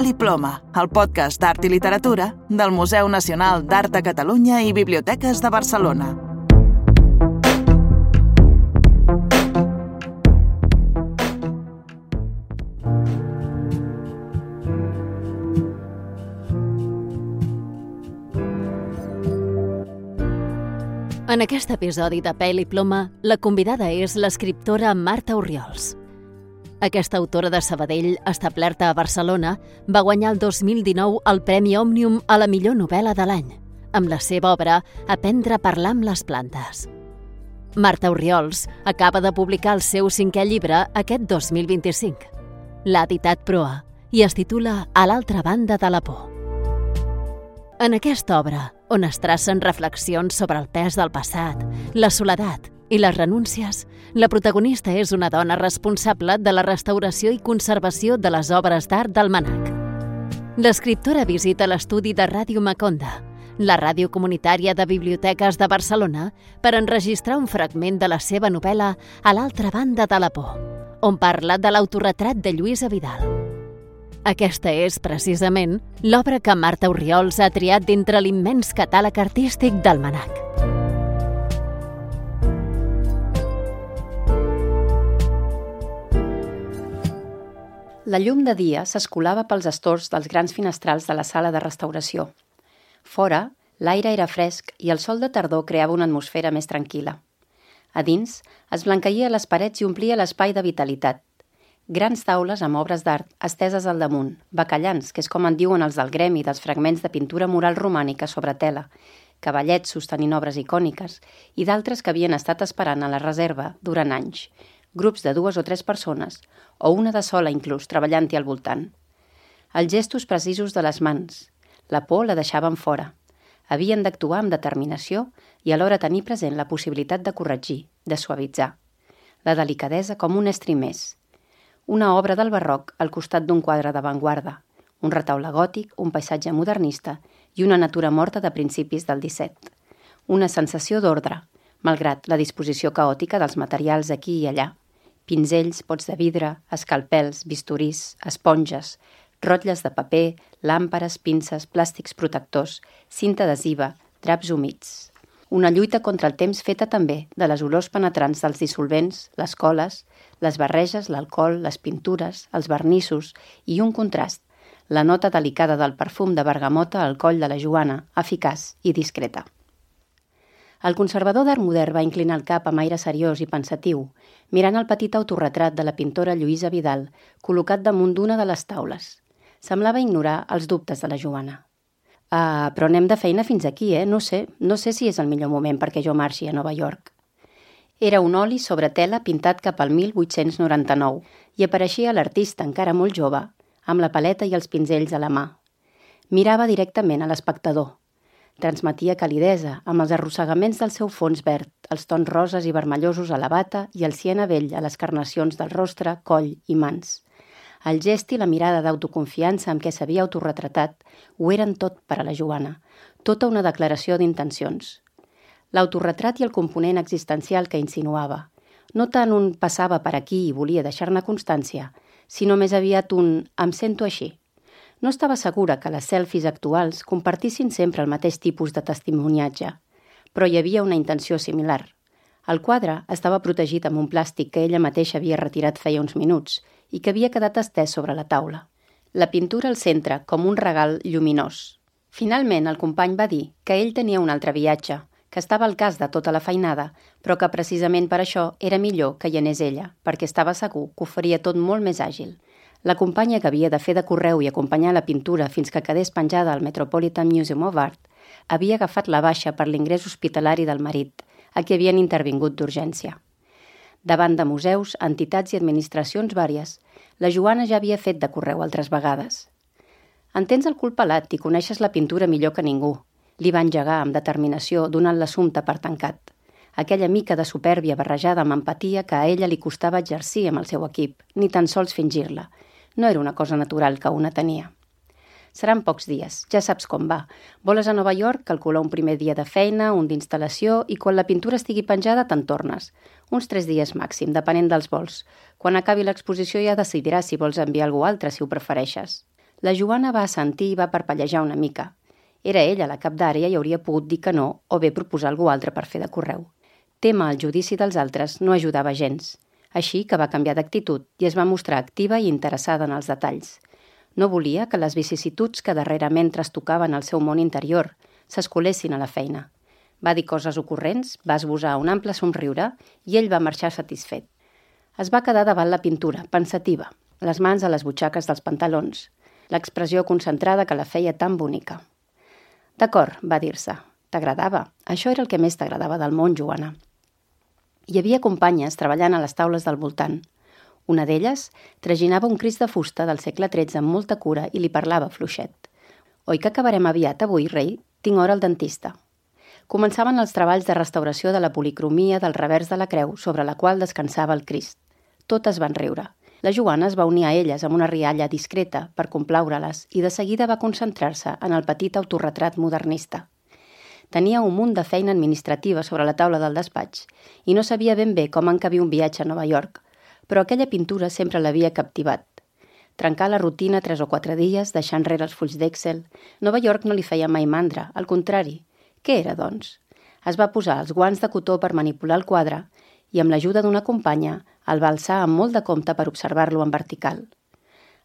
Papel i Ploma, el podcast d'art i literatura del Museu Nacional d'Art de Catalunya i Biblioteques de Barcelona. En aquest episodi de Pèl i Ploma, la convidada és l'escriptora Marta Orriols. Aquesta autora de Sabadell, establerta a Barcelona, va guanyar el 2019 el Premi Òmnium a la millor novel·la de l'any, amb la seva obra Aprendre a parlar amb les plantes. Marta Orriols acaba de publicar el seu 5è llibre aquest 2025. L'ha editat Proa i es titula A l'altra banda de la por. En aquesta obra, on es tracen reflexions sobre el pes del passat, la soledat i les renúncies, la protagonista és una dona responsable de la restauració i conservació de les obres d'art del MNAC. L'escriptora visita l'estudi de Ràdio Maconda, la ràdio comunitària de biblioteques de Barcelona, per enregistrar un fragment de la seva novel·la A l'altra banda de la por, on parla de l'autorretrat de Lluïsa Vidal. Aquesta és, precisament, l'obra que Marta Orriols ha triat d'entre l'immens catàleg artístic del MNAC. La llum de dia s'escolava pels estors dels grans finestrals de la sala de restauració. Fora, l'aire era fresc i el sol de tardor creava una atmosfera més tranquil·la. A dins, es blanqueïa les parets i omplia l'espai de vitalitat. Grans taules amb obres d'art esteses al damunt, bacallans, que és com en diuen els del gremi dels fragments de pintura mural romànica sobre tela, cavallets sostenint obres icòniques i d'altres que havien estat esperant a la reserva durant anys, grups de 2 o 3 persones, o una de sola inclús, treballant-hi al voltant. Els gestos precisos de les mans, la por la deixaven fora. Havien d'actuar amb determinació i alhora tenir present la possibilitat de corregir, de suavitzar. La delicadesa com un estri més. Una obra del barroc al costat d'un quadre d'avantguarda, un retaule gòtic, un paisatge modernista i una natura morta de principis del 17. Una sensació d'ordre, malgrat la disposició caòtica dels materials aquí i allà. Pinzells, pots de vidre, escalpels, bisturís, esponges, rotlles de paper, làmpares, pinces, plàstics protectors, cinta adhesiva, draps humits. Una lluita contra el temps feta també de les olors penetrants dels dissolvents, les coles, les barreges, l'alcohol, les pintures, els vernissos i un contrast, la nota delicada del perfum de bergamota al coll de la Joana, eficaç i discreta. El conservador d'art modern va inclinar el cap amb aire seriós i pensatiu, mirant el petit autorretrat de la pintora Lluïsa Vidal, col·locat damunt d'una de les taules. Semblava ignorar els dubtes de la Joana. Però anem de feina fins aquí, No sé si és el millor moment perquè jo marxi a Nova York. Era un oli sobre tela pintat cap al 1899 i apareixia l'artista encara molt jove, amb la paleta i els pinzells a la mà. Mirava directament a l'espectador. Transmetia calidesa amb els arrossegaments del seu fons verd, els tons roses i vermellosos a la bata i el siena vell a les carnacions del rostre, coll i mans. El gest i la mirada d'autoconfiança amb què s'havia autorretratat ho eren tot per a la Joana, tota una declaració d'intencions. L'autorretrat i el component existencial que insinuava. No tant un passava per aquí i volia deixar-ne constància, sinó més aviat un em sento així. No estava segura que les selfies actuals compartissin sempre el mateix tipus de testimoniatge, però hi havia una intenció similar. El quadre estava protegit amb un plàstic que ella mateixa havia retirat feia uns minuts i que havia quedat estès sobre la taula. La pintura al centre com un regal lluminós. Finalment, el company va dir que ell tenia un altre viatge, que estava al cas de tota la feinada, però que precisament per això era millor que hi anés ella, perquè estava segur que ho faria tot molt més àgil. La companya que havia de fer de correu i acompanyar la pintura fins que quedés penjada al Metropolitan Museum of Art havia agafat la baixa per l'ingrés hospitalari del marit, a qui havien intervingut d'urgència. Davant de museus, entitats i administracions vàries, la Joana ja havia fet de correu altres vegades. En tens el cul pelat i coneixes la pintura millor que ningú, li va engegar amb determinació donant l'assumpte per tancat. Aquella mica de supèrbia barrejada amb empatia que a ella li costava exercir amb el seu equip, ni tan sols fingir-la. No era una cosa natural que una tenia. Seran pocs dies, ja saps com va. Voles a Nova York, calcula un primer dia de feina, un d'instal·lació i quan la pintura estigui penjada te'n tornes. Uns 3 dies màxim, depenent dels vols. Quan acabi l'exposició ja decidiràs si vols enviar algú altre, si ho prefereixes. La Joana va assentir i va parpellejar una mica. Era ella la cap d'àrea i hauria pogut dir que no o bé proposar algú altre per fer de correu. Témer el judici dels altres no ajudava gens, així que va canviar d'actitud i es va mostrar activa i interessada en els detalls. No volia que les vicissituds que darrerament trastocaven el seu món interior s'escolessin a la feina. Va dir coses ocorrents, va esbosar un ample somriure i ell va marxar satisfet. Es va quedar davant la pintura, pensativa, les mans a les butxaques dels pantalons, l'expressió concentrada que la feia tan bonica. «D'acord», va dir-se. «T'agradava. Això era el que més t'agradava del món, Joana». Hi havia companyes treballant a les taules del voltant. Una d'elles traginava un Crist de fusta del segle XIII amb molta cura i li parlava fluixet. «Oi que acabarem aviat avui, rei? Tinc hora al dentista». Començaven els treballs de restauració de la policromia del revers de la creu sobre la qual descansava el Crist. Totes van riure. La Joana es va unir a elles amb una rialla discreta per complaure-les i de seguida va concentrar-se en el petit autorretrat modernista. Tenia un munt de feina administrativa sobre la taula del despatx i no sabia ben bé com encabir un viatge a Nova York, però aquella pintura sempre l'havia captivat. Trencar la rutina 3 o 4 dies, deixar enrere els fulls d'Excel. Nova York no li feia mai mandra, al contrari. Què era, doncs? Es va posar els guants de cotó per manipular el quadre i amb l'ajuda d'una companya el va alçar amb molt de compte per observar-lo en vertical.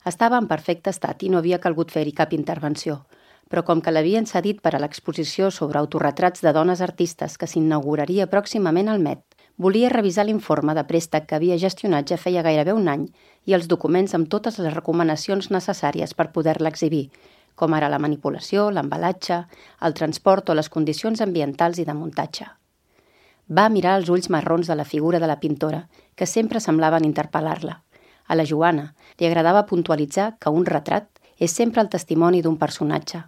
Estava en perfecte estat i no havia calgut fer-hi cap intervenció, però com que l'havien cedit per a l'exposició sobre autorretrats de dones artistes que s'inauguraria pròximament al Met, volia revisar l'informe de préstec que havia gestionat ja feia gairebé un any i els documents amb totes les recomanacions necessàries per poder-la exhibir, com ara la manipulació, l'embalatge, el transport o les condicions ambientals i de muntatge. Va mirar els ulls marrons de la figura de la pintora, que sempre semblaven interpel·lar-la. A la Joana li agradava puntualitzar que un retrat és sempre el testimoni d'un personatge.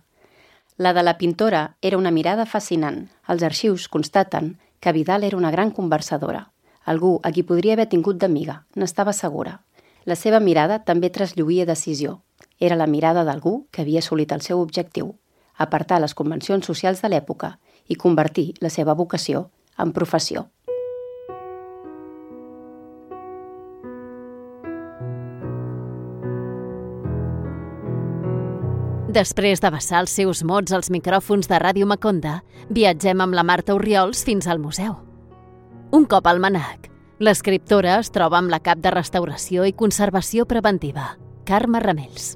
La de la pintora era una mirada fascinant. Els arxius constaten que Vidal era una gran conversadora. Algú a qui podria haver tingut d'amiga, n'estava segura. La seva mirada també traslluïa decisió. Era la mirada d'algú que havia assolit el seu objectiu, apartar les convencions socials de l'època i convertir la seva vocació en professió. Després de vessar els seus mots als micròfons de Ràdio Maconda, viatgem amb la Marta Orriols fins al museu. Un cop al MNAC, l'escriptora es troba amb la cap de Restauració i Conservació Preventiva, Carme Ramells.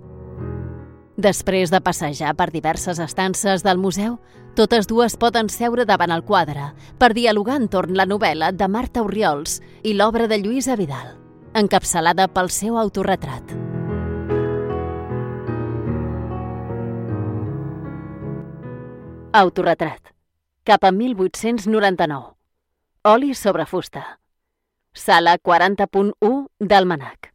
Després de passejar per diverses estances del museu, totes dues poden seure davant el quadre per dialogar entorn la novel·la de Marta Orriols i l'obra de Lluïsa Vidal, encapçalada pel seu autorretrat. Autorretrat. Cap a 1899. Oli sobre fusta. Sala 40.1 del MNAC.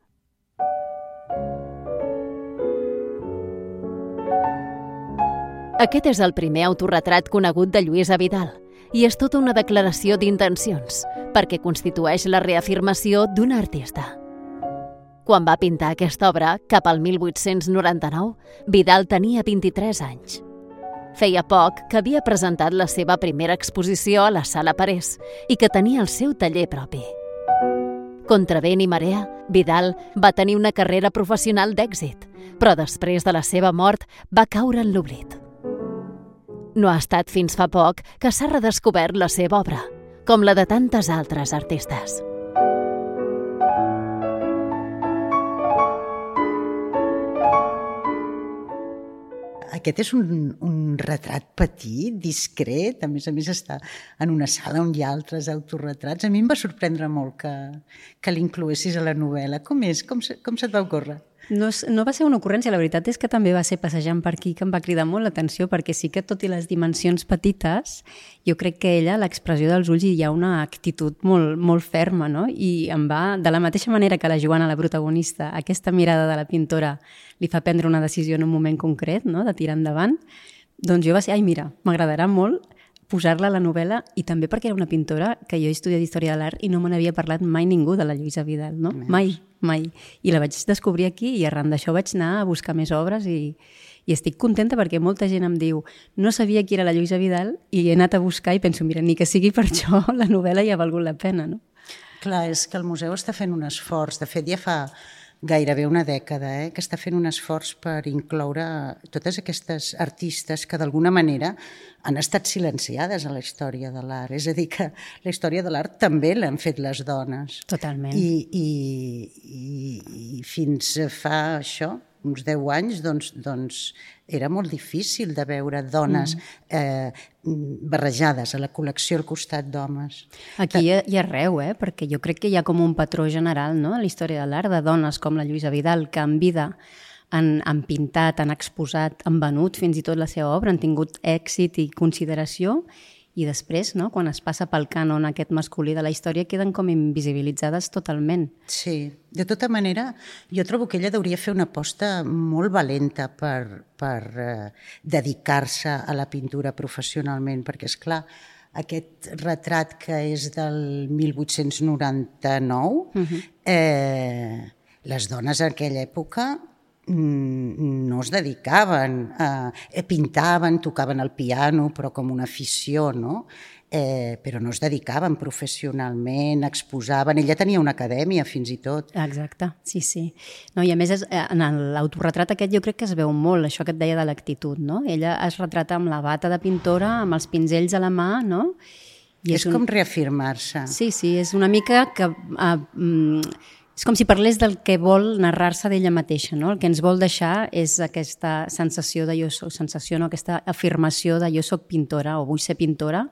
Aquest és el primer autorretrat conegut de Lluïsa Vidal i és tota una declaració d'intencions perquè constitueix la reafirmació d'un artista. Quan va pintar aquesta obra, cap al 1899, Vidal tenia 23 anys. Feia poc que havia presentat la seva primera exposició a la Sala Parés i que tenia el seu taller propi. Contra vent i marea, Vidal va tenir una carrera professional d'èxit, però després de la seva mort va caure en l'oblit. No ha estat fins fa poc que s'ha redescobert la seva obra, com la de tantes altres artistes. Aquest és un retrat petit, discret, a més està en una sala on hi ha altres autorretrats. A mi em va sorprendre molt que l'incloessis a la novel·la. Com és? Com se't va ocórrer? No va ser una ocurrència, la veritat és que també va ser passejant per aquí que em va cridar molt l'atenció, perquè sí que tot i les dimensions petites, jo crec que ella, l'expressió dels ulls, hi ha una actitud molt, molt ferma, no? I em va, de la mateixa manera que la Joana, la protagonista, aquesta mirada de la pintora li fa prendre una decisió en un moment concret, no? De tirar endavant, doncs jo va ser, ai mira, m'agradarà molt posar-la a la novel·la, i també perquè era una pintora que jo he estudiat Història de l'Art i no me n'havia parlat mai ningú de la Lluïsa Vidal, no? Mai. I la vaig descobrir aquí i arran d'això vaig anar a buscar més obres i estic contenta perquè molta gent em diu no sabia qui era la Lluïsa Vidal i he anat a buscar i penso, mira, ni que sigui per això la novel·la ja ha valgut la pena, no? Clar, és que el museu està fent un esforç. De fet, ja fa gairebé una dècada, que està fent un esforç per incloure totes aquestes artistes que d'alguna manera han estat silenciades a la història de l'art. És a dir, que la història de l'art també l'han fet les dones. Totalment. I fins fa això, uns 10 anys, doncs era molt difícil de veure dones barrejades a la col·lecció al costat d'homes. Aquí i arreu, perquè jo crec que hi ha com un patró general, no?, a la història de l'art, de dones com la Lluïsa Vidal, que en vida han pintat, han exposat, han venut fins i tot la seva obra, han tingut èxit i consideració, i després, no?, quan es passa pel cànon aquest masculí de la història, queden com invisibilitzades totalment. Sí, de tota manera, jo trobo que ella hauria fer una aposta molt valenta per dedicar-se a la pintura professionalment, perquè, és clar, aquest retrat que és del 1899, les dones en aquella època no es dedicaven, pintaven, tocaven el piano, però com una afició, no? Però no es dedicaven professionalment, exposaven. Ella tenia una acadèmia, fins i tot. Exacte, sí. No, i a més, en l'autorretrat aquest jo crec que es veu molt, això que et deia de l'actitud, no? Ella es retrata amb la bata de pintora, amb els pinzells a la mà, no? I és com reafirmar-se. Sí, és una mica que... és com si parlés del que vol narrar-se d'ella mateixa, no? El que ens vol deixar és aquesta sensació de aquesta afirmació de jo soc pintora o vull ser pintora,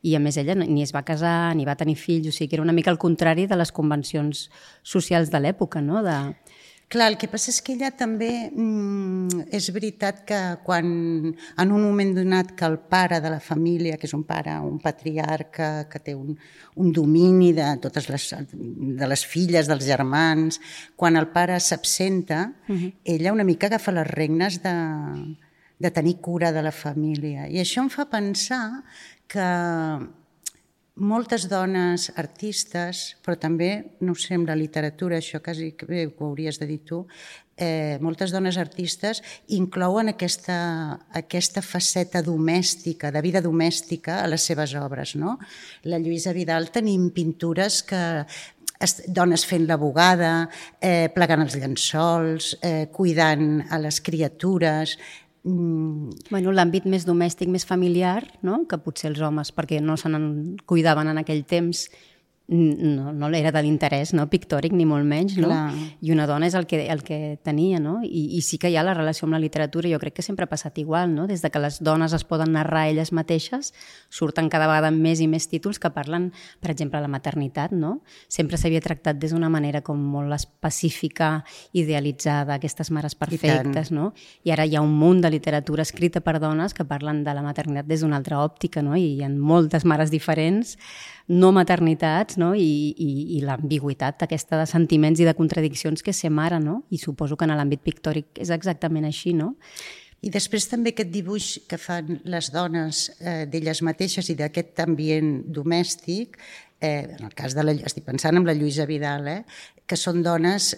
i a més ella ni es va casar ni va tenir fills, o sigui que era una mica el contrari de les convencions socials de l'època, no? Clar, el que passa és que ella també és veritat que quan en un moment donat que el pare de la família, que és un pare, un patriarca, que té un domini de totes les filles, dels germans, quan el pare s'absenta, ella una mica agafa les regnes de tenir cura de la família. I això em fa pensar que moltes dones artistes, però també, no sé, amb la literatura, això quasi que ho hauries de dir tu, moltes dones artistes inclouen aquesta faceta domèstica, de vida domèstica a les seves obres, no? La Lluïsa Vidal tenim pintures que dones fent la bugada, plegant els llençols, cuidant a les criatures. Bueno, l'àmbit més domèstic, més familiar, no?, que potser els homes, perquè no se n'en cuidaven en aquell temps, no era de l'interès, no?, pictòric, ni molt menys, no? Clar. I una dona és el que tenia, no? I sí que hi ha la relació amb la literatura, jo crec que sempre ha passat igual, no? Des de que les dones es poden narrar elles mateixes, surten cada vegada més i més títols que parlen, per exemple, de la maternitat, no? Sempre s'havia tractat des d'una manera com molt específica, idealitzada, aquestes mares perfectes, no? I ara hi ha un munt de literatura escrita per dones que parlen de la maternitat des d'una altra òptica, no? I hi ha moltes mares diferents, no maternitats, no? I l'ambigüitat aquesta de sentiments i de contradiccions que és ser mare, no? I suposo que en l'àmbit pictòric és exactament així, no? I després també aquest dibuix que fan les dones d'elles mateixes i d'aquest ambient domèstic, en el cas estic pensant en la Lluïsa Vidal, que són dones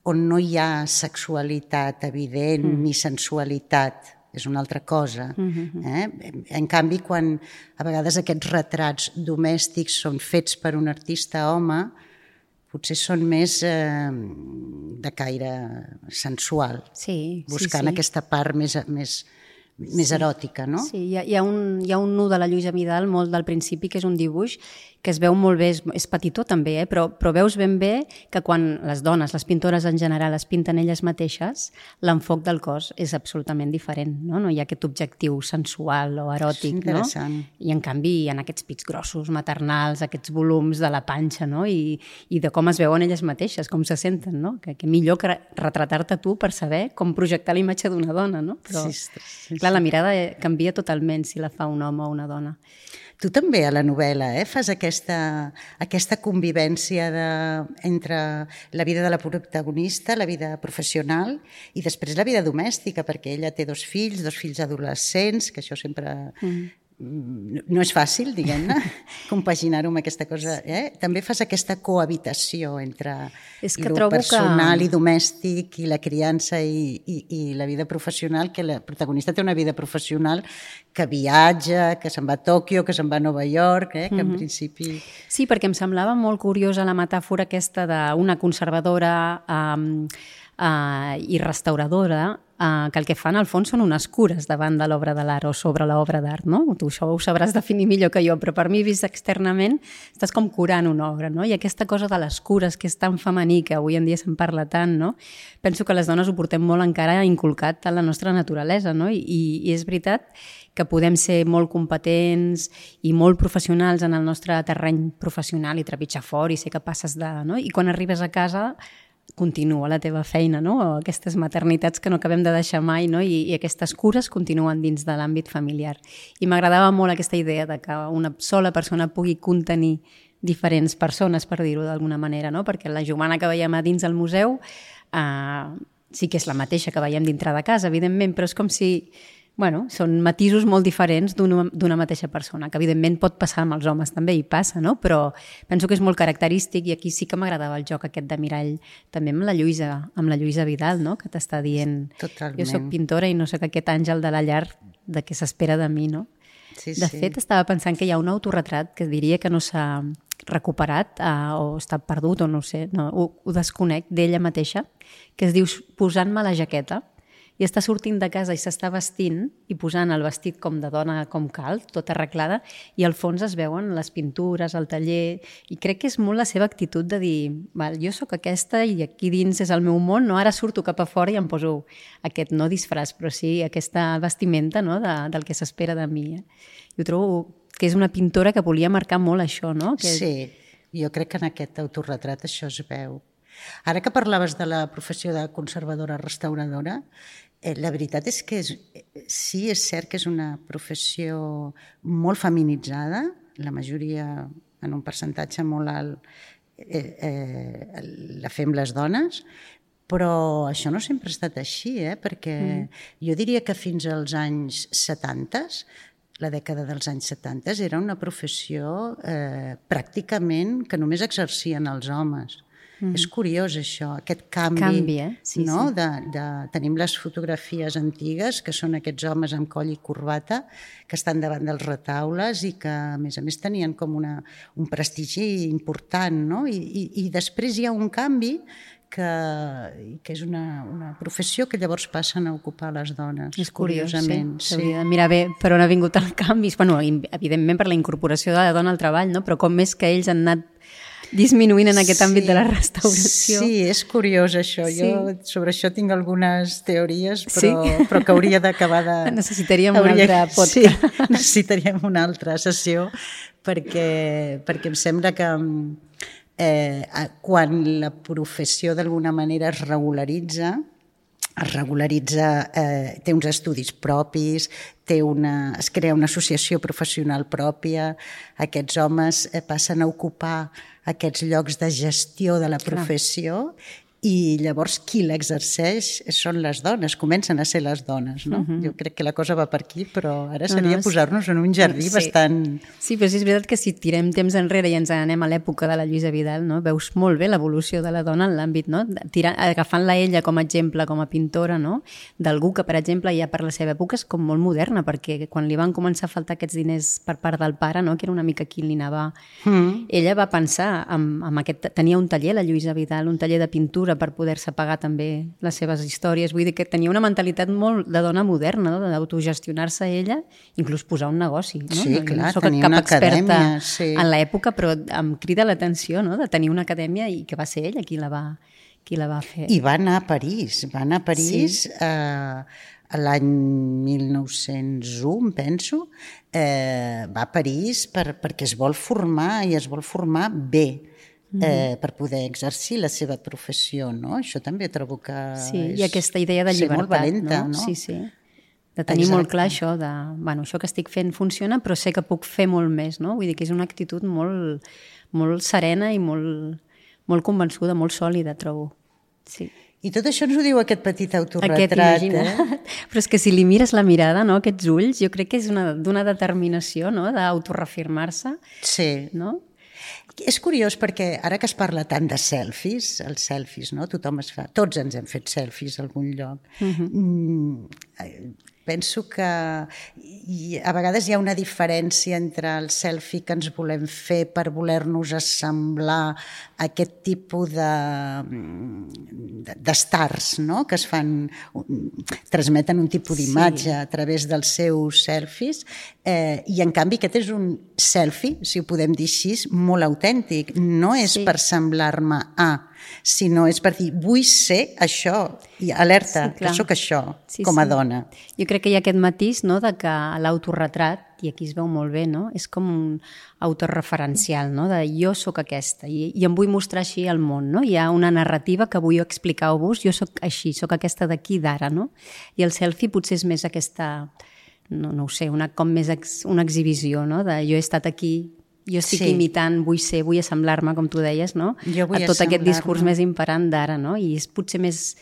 on no hi ha sexualitat evident ni sensualitat, és una altra cosa. En canvi, quan a vegades aquests retrats domèstics són fets per un artista home, potser són més de caire sensual, buscant aquesta part més eròtica, no? Sí, hi ha un nu de la Lluïsa Vidal molt del principi, que és un dibuix que es veu molt bé, és petitó també, però veus ben bé que quan les dones, les pintores en general, es pinten elles mateixes, l'enfoc del cos és absolutament diferent, no? No hi ha aquest objectiu sensual o eròtic, no? I en canvi hi ha aquests pits grossos, maternals, aquests volums de la panxa, no? I de com es veuen elles mateixes, com se senten, no? Que millor que retratar-te tu per saber com projectar la imatge d'una dona, no? Però, clar, la mirada canvia totalment si la fa un home o una dona. Tu també a la novel·la fas aquesta convivència entre la vida de la protagonista, la vida professional i després la vida domèstica, perquè ella té dos fills adolescents, que això sempre no és fàcil, diguem-ne, compaginar-ho amb aquesta cosa. També fas aquesta cohabitació entre lo personal i domèstic i la criança i la vida professional, que la protagonista té una vida professional que viatja, que se'n va a Tòquio, que se'n va a Nova York, que en principi... Sí, perquè em semblava molt curiosa la metàfora aquesta d'una conservadora i restauradora, que el que fan al fons són unes cures davant de l'obra de l'art o sobre l'obra d'art, no? Tu això ho sabràs definir millor que jo, però per mi, vist externament, estàs com curant una obra, no? I aquesta cosa de les cures, que és tan femení, que avui en dia se'n parla tant, no? Penso que les dones ho portem molt encara inculcat a la nostra naturalesa, no? I és veritat que podem ser molt competents i molt professionals en el nostre terreny professional i trepitjar fort i ser capaces de... No? I quan arribes a casa continua la teva feina, no? O aquestes maternitats que no acabem de deixar mai, no? I aquestes cures continuen dins de l'àmbit familiar. I m'agradava molt aquesta idea de que una sola persona pugui contenir diferents persones, per dir-ho d'alguna manera, no? Perquè la Jomana que veiem a dins del museu sí que és la mateixa que veiem dintre de casa, evidentment, però és com si... Bueno, són matisos molt diferents d'una mateixa persona, que evidentment pot passar amb els homes també, i passa, no? Però penso que és molt característic i aquí sí que m'agradava el joc aquest de mirall també amb la Lluïsa Vidal, no? Que t'està dient, totalment. Jo soc pintora i no soc aquest àngel de la llar de què s'espera de mi, no? Sí, de fet, estava pensant que hi ha un autorretrat que diria que no s'ha recuperat o està perdut o no ho sé, no, ho desconec, d'ella mateixa, que es diu Posant-me la jaqueta, i està sortint de casa i s'està vestint i posant el vestit com de dona com cal, tot arreglada, i al fons es veuen les pintures, el taller, i crec que és molt la seva actitud de dir, val, jo sóc aquesta i aquí dins és el meu món, no? Ara surto cap a fora i em poso aquest, no disfraç, però sí aquesta vestimenta, no? Del que s'espera de mi. Jo trobo que és una pintora que volia marcar molt això, no? Sí, jo crec que en aquest autorretrat això es veu. Ara que parlaves de la professió de conservadora restauradora, la veritat és que sí, és cert que és una professió molt feminitzada, la majoria, en un percentatge molt alt, la fem les dones, però això no sempre ha estat així, perquè jo diria que fins als anys 70, la dècada dels anys 70, era una professió pràcticament que només exercien els homes. És curiós això, aquest canvi, sí, no? Sí. Tenim les fotografies antigues, que són aquests homes amb coll i corbata, que estan davant dels retaules i que, a més, tenien com un prestigi important, no? I després hi ha un canvi que és una professió que llavors passen a ocupar les dones. És curiós, curiosament. Sí. S'hauria de mirar bé per on ha vingut el canvi. Bueno, evidentment per la incorporació de la dona al treball, no? Però com més que ells han anat disminuint en aquest àmbit de la restauració. Sí, és curiós això. Jo sobre això tinc algunes teories, però que hauria d'acabar de... Necessitaríem un altre podcast. Sí, necessitaríem una altra sessió perquè em sembla que quan la professió d'alguna manera es regularitza, té uns estudis propis, es crea una associació professional pròpia, aquests homes passen a ocupar aquests llocs de gestió de la professió i llavors qui l'exerceix són les dones, comencen a ser les dones, no? Jo crec que la cosa va per aquí, però ara seria posar-nos en un jardí bastant... Sí, però sí, és veritat que si tirem temps enrere i ens anem a l'època de la Lluïsa Vidal, no? Veus molt bé l'evolució de la dona en l'àmbit, no? Agafant-la ella com a exemple, com a pintora, no? D'algú que, per exemple, ja per la seva època és com molt moderna, perquè quan li van començar a faltar aquests diners per part del pare, no? Que era una mica qui li anava... Ella va pensar amb aquest... Tenia un taller, la Lluïsa Vidal, un taller de pintura per poder-se pagar també les seves històries. Vull dir que tenia una mentalitat molt de dona moderna, no? D'autogestionar-se ella, inclús posar un negoci. No? Sí, clar, no tenia una acadèmia. Sí. En l'època, però em crida l'atenció, no? De tenir una acadèmia i que va ser ella qui la va fer. I va anar a París. L'any 1901, penso, va a París perquè es vol formar i es vol formar bé. Per poder exercir la seva professió, no? Això també trobo que i aquesta idea de llibertat, molt valenta, no? Sí. De tenir molt clar això de, bueno, això que estic fent funciona, però sé que puc fer molt més, no? Vull dir que és una actitud molt, molt serena i molt convençuda, molt sòlida, trobo. Sí. I tot això ens ho diu aquest petit autorretrat. Imagina't. Però és que si li mires la mirada, no, aquests ulls, jo crec que és d'una determinació, no?, d'autoreafirmar-se. Sí. No? És curiós perquè ara que es parla tant de selfies, els selfies, no? Tothom es fa... Tots ens hem fet selfies a algun lloc. Penso que a vegades hi ha una diferència entre el selfie que ens volem fer per voler-nos assemblar a aquest tipus d'estars, no?, que es fan, transmeten un tipus d'imatge a través dels seus selfies, i en canvi aquest és un selfie, si ho podem dir així, molt autèntic. No és per semblar-me a, sinó és per dir, vull ser això, i alerta, que sóc això, com a dona. Jo crec que hi ha aquest matís, no?, de que l'autorretrat, i aquí es veu molt bé, no?, és com un autorreferencial, no?, de jo sóc aquesta, i em vull mostrar així al món, no? Hi ha una narrativa que vull explicar-vos, jo sóc així, sóc aquesta d'aquí d'ara, no? I el selfie potser és més aquesta, no ho sé, com més una exhibició, no?, de jo he estat aquí, jo estic imitant, vull ser, vull assemblar-me, com tu deies, no?, a tot aquest discurs més imperant d'ara, no? I és potser més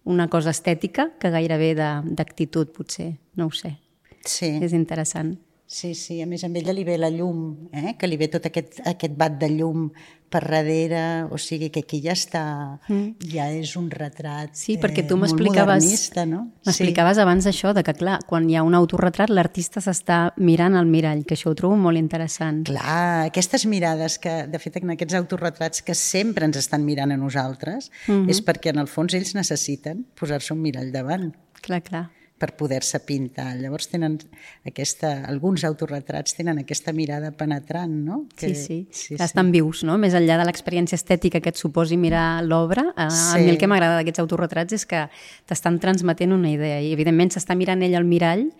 una cosa estètica que gairebé d'actitud, potser, no ho sé. Sí. És interessant. Sí, a més a ella li ve la llum, que li ve tot aquest bat de llum per darrere, o sigui que aquí ja està, ja és un retrat perquè tu molt modernista, no? M'explicaves abans això, de que clar, quan hi ha un autorretrat l'artista s'està mirant al mirall, que això ho trobo molt interessant. Clar, aquestes mirades que, de fet, en aquests autorretrats que sempre ens estan mirant a nosaltres, és perquè en el fons ells necessiten posar-se un mirall davant. Clar. Per poder-se pintar. Llavors tenen alguns autorretrats tenen aquesta mirada penetrant, no? Sí. Estan vius, no? Més enllà de l'experiència estètica que et suposi mirar l'obra, a mi el que m'agrada d'aquests autorretrats és que t'estan transmetent una idea i evidentment s'està mirant ell al mirall,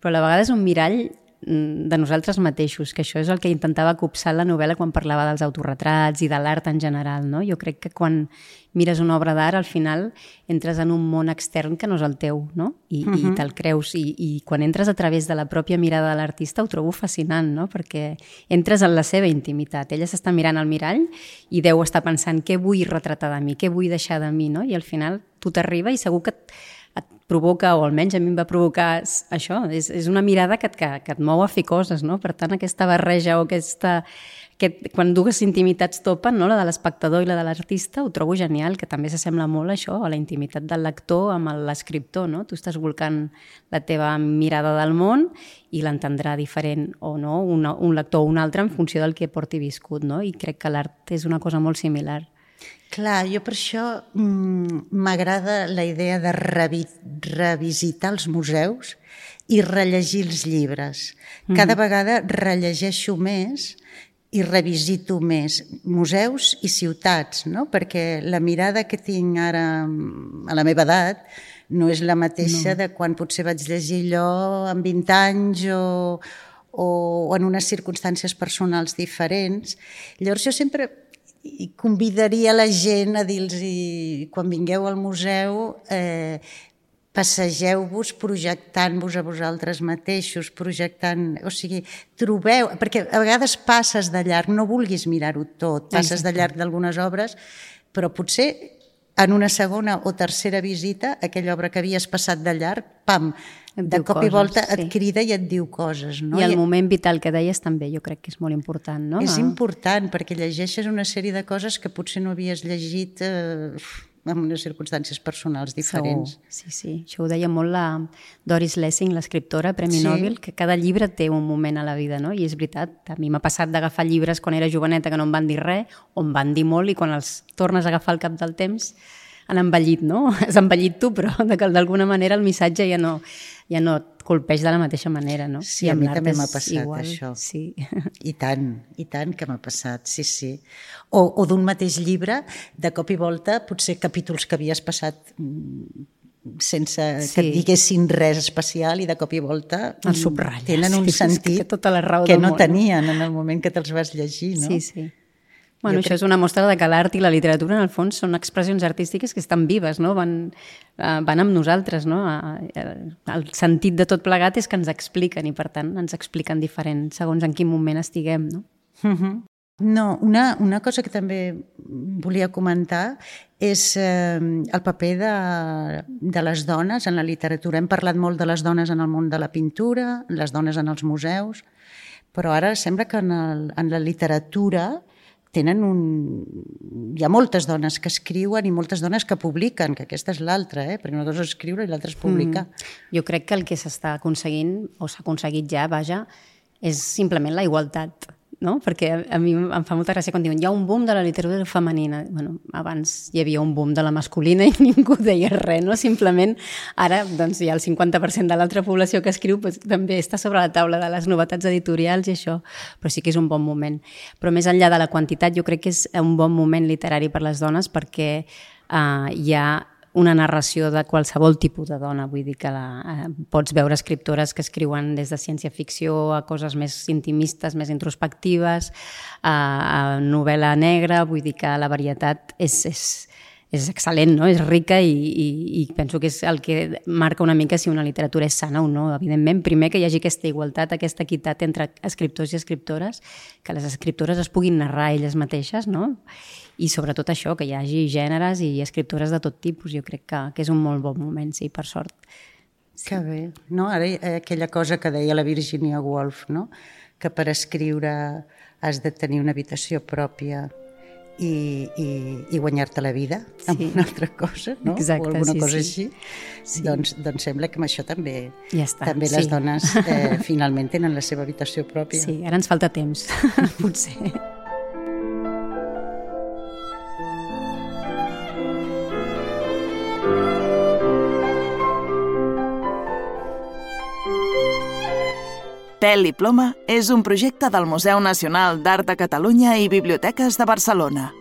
però a la vegada és un mirall de nosaltres mateixos, que això és el que intentava copsar la novel·la quan parlava dels autorretrats i de l'art en general, no? Jo crec que quan mires una obra d'art, al final entres en un món extern que no és el teu, no? I te'l creus, i quan entres a través de la pròpia mirada de l'artista ho trobo fascinant, no? Perquè entres en la seva intimitat. Ella s'està mirant al mirall i deu estar pensant què vull retratar de mi, què vull deixar de mi, no? I al final tu t'arriba i segur que et provoca, o almenys a mi em va provocar això, és una mirada que et mou a fer coses, no? Per tant, aquesta barreja o quan dues intimitats topen, no? La de l'espectador i la de l'artista, ho trobo genial, que també s'assembla molt a això, a la intimitat del lector amb l'escriptor, no? Tu estàs volcant la teva mirada del món i l'entendrà diferent o no, un lector o un altre en funció del que porti viscut, no? I crec que l'art és una cosa molt similar. Clar, jo per això m'agrada la idea de revisitar els museus i rellegir els llibres. Cada vegada rellegeixo més i revisito més museus i ciutats, no? Perquè la mirada que tinc ara a la meva edat no és la mateixa de quan potser vaig llegir allò amb 20 anys o en unes circumstàncies personals diferents. Llavors jo sempre convidaria la gent a dir-los, quan vingueu al museu, passegeu-vos projectant-vos a vosaltres mateixos, o sigui, trobeu, perquè a vegades passes de llarg, no vulguis mirar-ho tot, passes de llarg d'algunes obres, però potser en una segona o tercera visita, aquella obra que havies passat de llarg, pam, de cop i volta et crida i et diu coses. No? I el moment vital que deies també jo crec que és molt important, no? És important, perquè llegeixes una sèrie de coses que potser no havies llegit en unes circumstàncies personals diferents. Sí. Això ho deia molt la Doris Lessing, l'escriptora, Premi Nobel, que cada llibre té un moment a la vida, no? I és veritat, a mi m'ha passat d'agafar llibres quan era joveneta que no em van dir res, o em van dir molt, i quan els tornes a agafar al cap del temps han envellit, no? Has envellit tu, però d'alguna manera el missatge ja no et colpeix de la mateixa manera, no? Sí, a mi també m'ha passat igual, això. Sí. I tant que m'ha passat, sí. O d'un mateix llibre, de cop i volta, potser capítols que havies passat sense que et diguessin res especial i de cop i volta tenen un sentit que no tenien en el moment que te'ls vas llegir, no? Sí. Bueno, això és una mostra de que l'art i la literatura, en el fons, són expressions artístiques que estan vives, no? Van amb nosaltres, no? El sentit de tot plegat és que ens expliquen i, per tant, ens expliquen diferent segons en quin moment estiguem, no? No, una cosa que també volia comentar és el paper de les dones en la literatura. Hem parlat molt de les dones en el món de la pintura, les dones en els museus, però ara sembla que en la literatura hi ha moltes dones que escriuen i moltes dones que publiquen, que aquesta és l'altra, perquè una cosa és escriure i l'altra és publicar. Jo crec que el que s'està aconseguint, o s'ha aconseguit ja, vaja, és simplement la igualtat, no? Perquè a mi em fa molta gràcia quan diuen hi ha un boom de la literatura femenina. Bueno, abans hi havia un boom de la masculina i ningú deia res, no? Simplement ara doncs, hi ha el 50% de l'altra població que escriu, doncs, també està sobre la taula de les novetats editorials i això, però sí que és un bon moment. Però més enllà de la quantitat, jo crec que és un bon moment literari per les dones perquè hi ha una narració de qualsevol tipus de dona, vull dir que pots veure escriptores que escriuen des de ciència-ficció a coses més intimistes, més introspectives, a novel·la negra, vull dir que la varietat és excel·lent, no? És rica i penso que és el que marca una mica si una literatura és sana o no. Evidentment, primer que hi hagi aquesta igualtat, aquesta equitat entre escriptors i escriptores, que les escriptores es puguin narrar elles mateixes, no? I sobretot això, que hi hagi gèneres i escriptores de tot tipus. Jo crec que és un molt bon moment, sí, per sort. Sí. Que bé. No? Ara aquella cosa que deia la Virginia Woolf, no? Que per escriure has de tenir una habitació pròpia i guanyar-te la vida amb una altra cosa, no? Exacte, o alguna cosa sí. així. Sí. Doncs sembla que amb això també, ja està, també les dones finalment tenen la seva habitació pròpia. Sí, ara ens falta temps, potser. Pèl i ploma és un projecte del Museu Nacional d'Art de Catalunya i Biblioteques de Barcelona.